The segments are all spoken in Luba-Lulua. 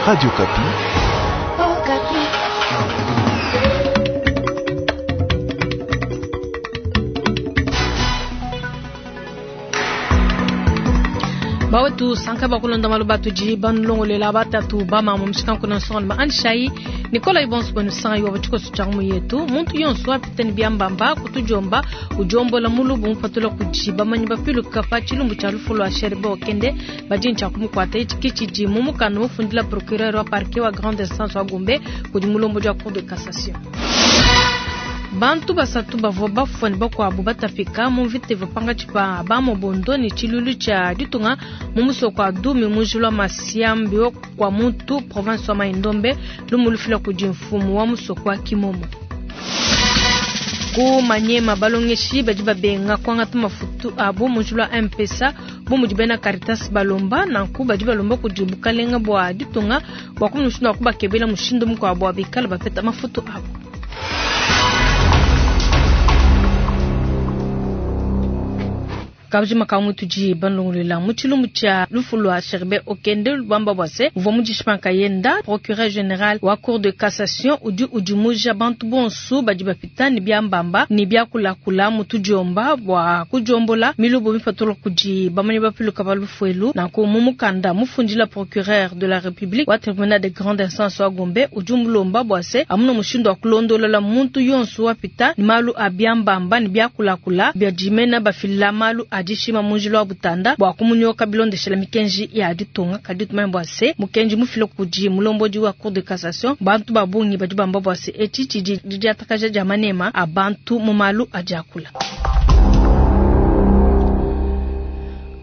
Radio Okapi. Bawetu sanka bakulonda malu atudi banulongolela batatu bamama mushikanku nsonga ma andishayi Nicolas ibonso bwenu sanga yuwa tshikoso tshia mu yetu muntu yonso apita ni biambamba kutujomba ujombola mulubu mupatula kudi bamanyi bapiluka pa tshilumbu tshia lufu lua Sherbe Okende badi ntshia kumukuata etshi tshidi mu mukanda mufundila procureur wa parquet wa grande instance wa Gombe kudi mulombodi wa cour de cassation. Bantu basatu bavua bafua ne bakuabu batapika mu mvita ivua pankatshi pa bamobondo ne tshiluilu tshia ditunga mu musoko wa Dumi mu njila wa Masiambi kwa muntu province wa Mai-Ndombe, lumu lufila kudi mfumu wa musoko wa Kimomo. Ku Maniema balongeshi badi babenga kuangata mafutu abu mu njila wa M-Pesa bu mudi bena Caritas balomba, nanku badi balomba kudi bukalenga bua ditunga bua kumona mushindu wa kubakebela mushindu mukuabu bua bikale bapeta mafutu abu. Kabidi makambo tudi banlongolola mu tshilumbu tshia lufu lua Sherbe Okende lubamba bua se uvua mudishipa nkayenda. Procureur general wa cour de cassation udi udimuja bantu bonso badi bapita ne biambamba ne biakulakula mu tudiomba bua kudiombola milubu mipatula kudi bamanyi bapiluka ba lufu elu. Nanku mu mukanda mufundila procureur de la République wa tribunal de grande instance wa Gombe udi umulomba bua se amuna mushindu wa kulondolola muntu yonso wapita ne malu a biambamba ne biakulakula bia dimena bafila malu a dishima mu njila wa butanda bua kumunyoka bilondeshela mikenji ya ditunga. Kadi tumanye bua se mukenji mufila kudi mulombodi wa cour de cassation, bantu ba bungi badi bamba bua se etshi tshidi didiatakaja dia manema a bantu mu malu a diakula.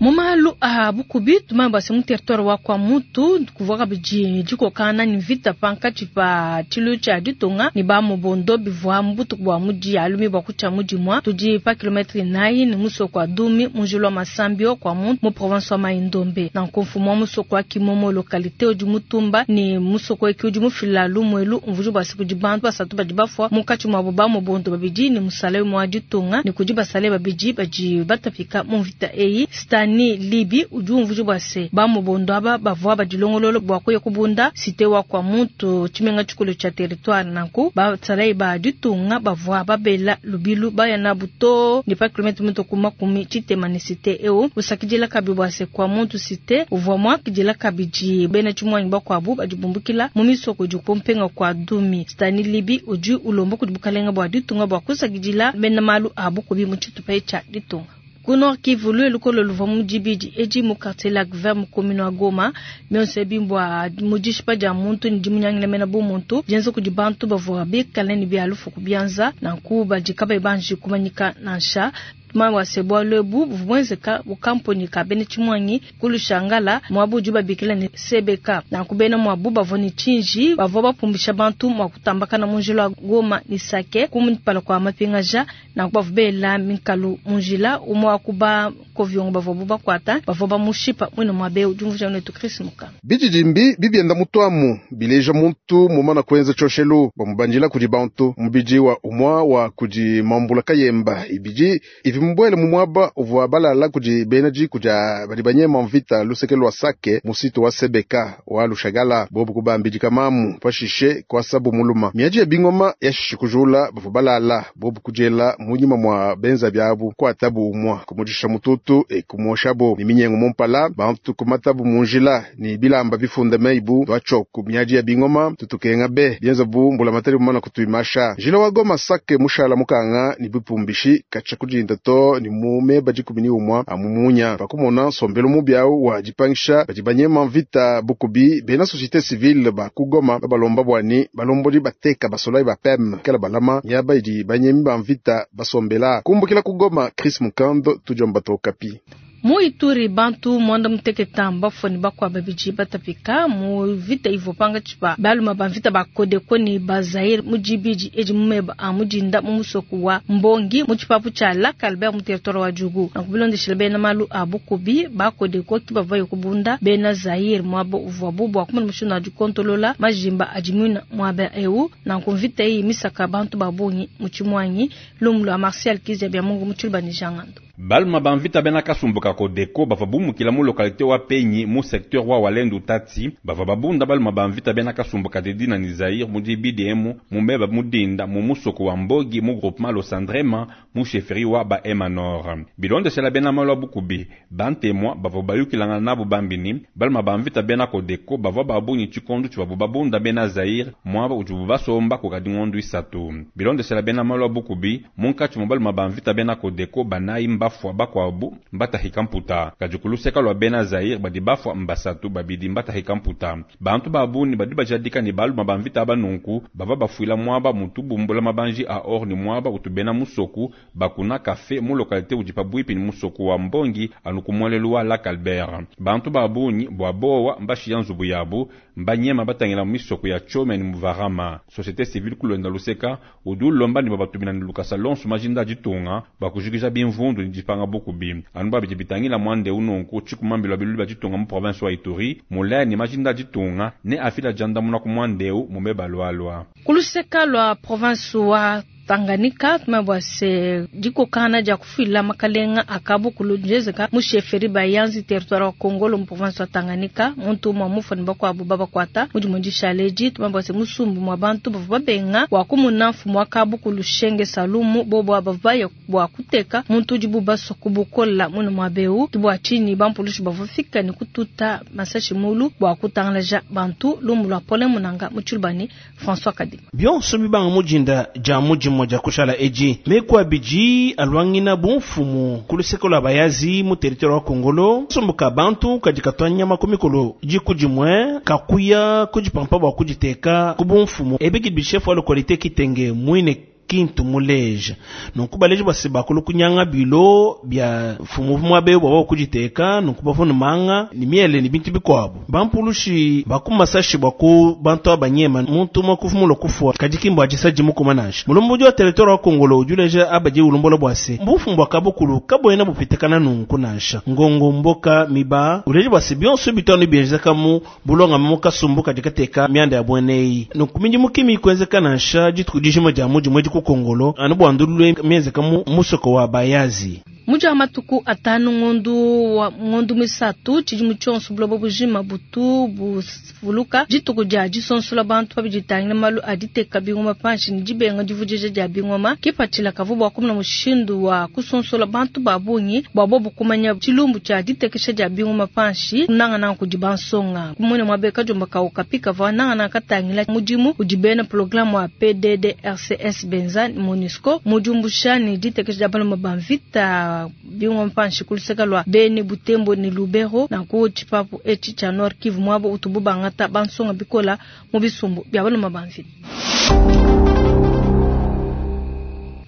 Mu malu a bukubi tumanye bua se mu territoire wa kwa mutu kuvua kabidi dikokana ne mvita pankatshi pa tshilu tshia ditunga ne ba mobondo bivua mu butuku bua mudi alumi bua kutshia mudimua tudi pa kilometre 9 ne musoko wa Dumi mu njila wa Masambio kwa muntu mu province wa Mai-Ndombe. Nanku mfumu wa musoko wa Kimomo localité udi mutumba ne musoko eki udi mufila lumuelu umvuju bua se kudi bantu basatu badi bafua munkatshi muabu ba mobondo babidi ne musale mwa ditunga ne kudi basale babidi badi batapika mu mvita eyi. Stani Libi udi umvuja bua se ba mobondo aba bavua badilongolola bua kuya kubunda cité wa kwa muntu tshimenga tshikulu tshia territoire. Nanku basalayi ba ditunga bavua babela lubilu baya nabu to ne pa kilometre muto ku makumi tshitema ne cité eu usakidila kabi bua se kwa muntu cité uvua muakidila kabidi bena tshimuanyi bakuabu badi bumbukila mu misoko idi kumpenga kwa Dumi. Stani Libi udi ulomba kudi bukalenga bua ditunga bua kusakidila bena malu a bukubi mu tshitupa tshia ditunga. Ku Nord Kivu, lukolo luvua mu dibidi edi mu quartier Lac Vert mu commune wa Goma mionso ebi mbua mu dishipa dia muntu ne dimunyangila mena bu muntu dienza kudi bantu bavua bikale ne bia lufu ku bianza nanku badi kabayi banji kumanyika nansha. Tumanye se bualu ebu buvua buenzeka mu kamponi ka bena tshimuangi ku Lushangala muabu udi babikila ne CBK. Nanku bena muabu bavua ne tshinji bavua bapumbisha bantu mua kutambakana mu njila wa Goma ne Sake ku mpala kwa mapingaja. Nanku bavua bela mikalu mu njila umwe wa kuba koviongo bavua bubakuata bavua bamushipa mwina muabe udi umvuja netu Chris Mukama. Bididimbi bibienda mutuamu bileja muntu mumana kuenza tshoshelu bamubandila kudi bantu mubidi wa umwa wa kudi mambula kayemba ibidi ivi mubwele mu mwaba uvua balala kudi bena diku dia badi banyema mvita luseke lwa Sake musitu wa Sebeka wa Lushagala bobu kubambidika mamu pashishe kwasabu muluma miaji ya bingoma yashishi kujula bavua balala bobu kujela munyima mwa benza byabu kwatabu umwa kumujisha mututu e kumwoshabo ni minyengo mumpala bantu kumatabu munjila ni bilamba bifunda meibu twachoku miaji ya bingoma tutukenga be bienza bu mbula matari mumana kutuimasha njila wa Goma Sake mushala mukanga ni bipumbishi kacha kujinda to ni mume bajikumi ni umwa amumunya pakumona sombelo mubyau wa jipangisha badi banyema mvita bukubi bena société civile ba kugoma babalomba bwani balombodi bateka basolai ba PEM kala balama miaba idi banyemi ba mvita basombela kumbukila kugoma Chris Mukando tujomba tokapi. Mu Ituri bantu mwanda muteketa mbafua ne bakuabu babidi batapika mu vita ivua pankatshi pa baluma ba mvita ba Kodeko ne ba Zaire mu dibidi edi mu meba a mudinda mu musoko wa Mbongi mu tshipapu tshia Lac Albert mu territoire wa Djugu. Nanku bilondeshile bena malu a bukubi ba Kodeko ki bavua kubunda bena Zaire muaba uvuabu bua kumona mushindu wa dikontolola majimba adi muina muaba eu. Nanku mvita eyi misaka bantu ba bungi mu tshimuanyi lumu lua Martial Kizia bya Mungu mu tshiluba ne Jangando. Baluma ba mvita bena kasumbu ka Codeco bavua bumukila mu localité wa Penyi mu secteur wa Walendu Tati bavua babunda baluma ba mvita bena kasumbu ka Didina ni Zaire mu dibidi emu mu meba mudinda mu musoko wa Mbogi mu groupement Losandrema mu chefferie wa ba Hema Nord. Bilondeshela bena malu a bukubi bantemwa bavua bayukilangana nabu bambini baluma ba mvita bena Codeco bavua babunyi tshikondo tshivuabu babunda bena Zaire muaba udibu basomba kukadi ngondu isatu. Bilondeshela bena malu a bukubi munkatshi mu baluma ba mvita bena Codeco banayi mbafua bakwabu mbatahika mputa kadi kuluseka lwa bena Zaire badi bafua mbasatu babidi mbatahika mputa. Bantu babuni badi bajadika ne baluma ba mvita banunku bava bafuila muaba mutu bumbula mabanji a or ni muaba utu bena musoku bakuna kafe mu localité udi pabuipi ni musoku wa Mbongi anu ku muelelu wa Lac Albert. Bantu babunyi bua bowa mbashiya nzubu yabu mbanyema batangila mu misoko ya Tchome ni Muvarama. Société civile kulonda luseka udi ulomba ne babatumina ni lukasa lonso majinda ditunga bakujikija bimvundu ni dipanga bukubi. Anu babidi bitangila mwande unonku tshikumambilo bilulu bia ditunga mu province wa Ituri mulaya ni majinda ditunga ne afila jandamuna ku mwandeu mume balwalwa. Kuluseka lwa province wa Tanganyika tumabwa se dikokana dia kufuila makalenga akabu kulunjezeka mu chefferie bayanzi territoire wa Congo mu province wa Tanganyika muntu mwa mufani bakwabu babakwata mudi mundishaleji tumabwa se musumbu mwa bantu bavua babenga wa kumuna mfumu akabu kulushenge salumu bobo abavaya bwa kuteka muntu udi bubaso kubukola muno mwa beu kibwa chini bampulushi bavufika ni kututa masashi mulu bwa kutangalaja bantu lumu lwa pole munanga muchulubani François Kadima. Bionso bibanga mujinda ja muji moja kushala eji mekwa biji alwangina bumfumu kuluseko la bayazi mu territoire wa Kongolo somboka bantu kadikatwanya makomikolo jikujimwe kakuya kujipampa bwa kujiteka kubumfumu ebiki bishefu wa lokalite kitenge mwine kintu muleja nunku baleji basi bakulu kunyanga bilo bya fumu mwabe bwa kujiteka nunku bafuna manga ni miele ni bintu bikwabo bampulushi bakumasashi bwa ku bantu abanyema muntu makufumulo kufwa kadikimbo ajisaji mukumanasha mulumbu wa territoire wa Kongolo ujuleja abaje ulumbola bwase mbufu mbwa kabukulu kaboyena bupitekana nunku nasha ngongo mboka miba uleje bwase bionso bitano byejeka mu bulonga mu kasumbu kadikateka myanda ya bwenei nunku minji mukimi kwenzeka nasha jitukudijimo ja muji mweji ku Kongolo anu bwandulule miezi kamu musoko wa bayazi. Muji wa matuku atanu ngondu wa ngondu misatu chijimu chonso bulobo bujima butu buvuluka dituku dia disonsola bantu babiditangila malu aditeka bingoma panshi ni dibenga divudija dia bingoma kipatshila kavu bua kumuna mushindu wa kusonsola bantu babungi bua bobu kumanya tshilumbu tshia ditekesha dia bingoma panshi nangana kudi bansonga kumune mwabeka jomba kaukapika va nangana katangila mudimu udi bena programme wa PDDRCS benza MONUSCO mujumbusha ni ditekesha dia baloma ba mvita bingoma panshi kuluseka lwa Beni Butembo ni Lubero na ku chipapu echi cha Nord Kivu mwabo utubu bangata bansonga bikola mu bisumbu bya baloma ba mvita.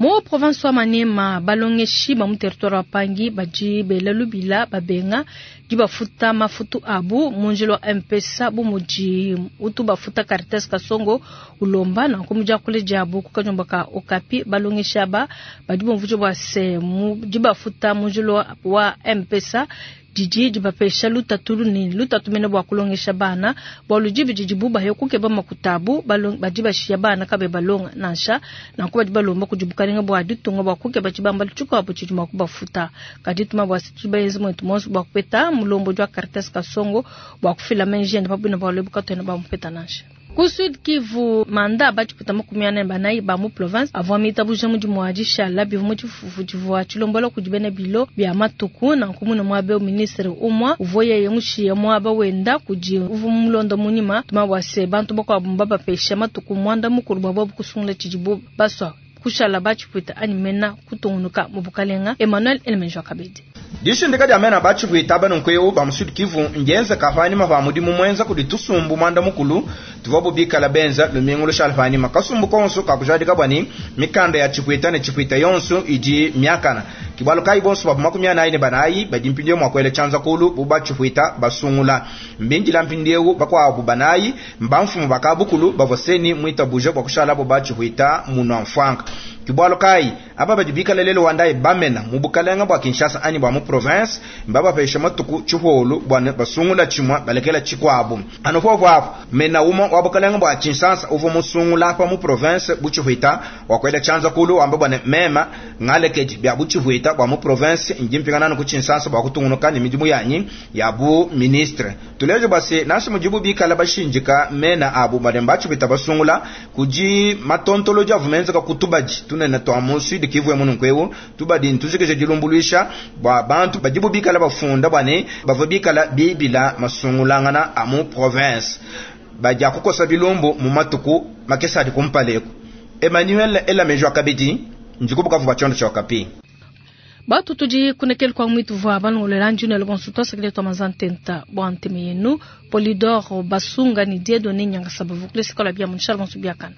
Mo province wa Maniema balongeshi ba mu territoire wa Pangi baji bela lubila babenga di bafuta mafutu abu munjilo wa M-Pesa bu muji utu bafuta Caritas Kasongo ulomba na kumuja kule jabu kukanyomba ka Okapi balongeshi aba badi bomvujo bwa se mu di bafuta munjilo wa M-Pesa didi dibapesha lutatu ni lutatu mene bwa kulongesha bana bwa lujibi didi buba yo kukeba makutabu badi bashiya bana kabe balonga nansha nanku badi balomba kudibukalinga bwa ditunga bwa kukeba tshibamba tshikuabu tshidi mua kubafuta kadi tuma bwa situbayenzi mwetu monso bwa kupeta mulombo jwa Caritas Kasongo bwa kufila menji ende pabwina bwa lwebu katwena bamupeta nansha. Ku Sud Kivu manda bachiputa makumi ane banayi ba mu province avua mitabuja mudimu wa dishala bivu mu tshifufu tshivua tshilombola kudi bena bilo bia matuku nanku muna muabe ministre umwa uvua yeye mushiya muaba wenda kudi uvu mulonda munyima tuma bua se bantu bakuabu mbabapesha matuku muanda mukulu bua bobu kusungula tshidibu basua kushala bachiputa anyi mena kutungunuka mu bukalenga. Emmanuel Elemenjo Kabedi. Dishindika dia mena bachiputa banunkweu ba mu Sud Kivu ngenza kafani mava mudimu mwenza kudi tusumbu mwanda mukulu tuvua bubikala benza lumingu lushalfani makasumbu konso kakujadika bwani mikanda ya chipuita ne chipuita yonso idi miakana kibalo kai bonso babu 44 banayi badi mpindieu mwakwele chanza kulu buba chipuita basungula mbindila mpindieu bakwabu banayi mbamfumu bakabukulu bavoseni mwita buje bwa kushala bo bachipuita muno mfwanka. Ke bualu kayi aba badi bikala lelu wa ndayi bamena mu bukalenga bua Kinshasa anyi bua mu province mbabapesha matuku tshiholu bua ne basungula tshimue balekela tshikuabu. Anu popo apo mena umue wa bukalenga bua Tshinsansa uvua musungula apa mu province bu tshihuita wakuela tshianza kulu wamba bua ne mema ngalekedi bia bu tshihuita bua mu province ndi mpingana anu ku Tshinsansa bua kutungunuka ne midimu yanyi ya bu ministre. Tuleje bua se nansha mudibu bikala bashindika mena abu badi mbatshihuita basungula kudi matontolodi avua menzeka ku tubadi tunene tua mu Sud Kivu emu. Nunku eu tubadi ntujikije dilumbuluisha bua bantu badibu bikala bafunda bua ne bavua bikala bibila masungulangana a mu province badi kukosa bilumbu mu matuku makese adi kumpala eku. Emmanuel Elamejo akabidi ndikubukavu bua tshiondo tshia Okapi. Batu tudi kunekele kwa mwitu vwa balongolela njuna bonso twasakile twa mazantenta bwa nteme yenu Polydor Basunga ni Dieudonné Nyangasaba vukulesikola bia munshala bonso biakana.